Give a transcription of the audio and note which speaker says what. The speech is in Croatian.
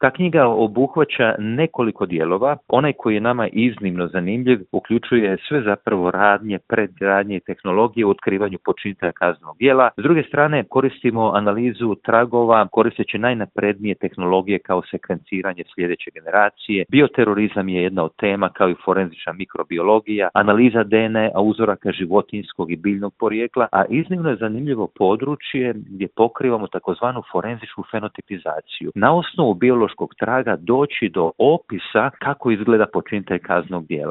Speaker 1: Ta knjiga obuhvaća nekoliko dijelova. Onaj koji je nama iznimno zanimljiv uključuje sve zapravo radnje, predradnje i tehnologije u otkrivanju počinitelja kaznenog djela. S druge strane, koristimo analizu tragova koristeći najnaprednije tehnologije kao sekvenciranje sljedeće generacije. Bioterorizam je jedna od tema kao i forenzična mikrobiologija, analiza DNA uzoraka životinjskog i biljnog porijekla, a iznimno je zanimljivo područje gdje pokrivamo takozvanu forenzičku fenotipizaciju. Na osnovu biološkog traga doći do opisa kako izgleda počinitelj kaznenog djela.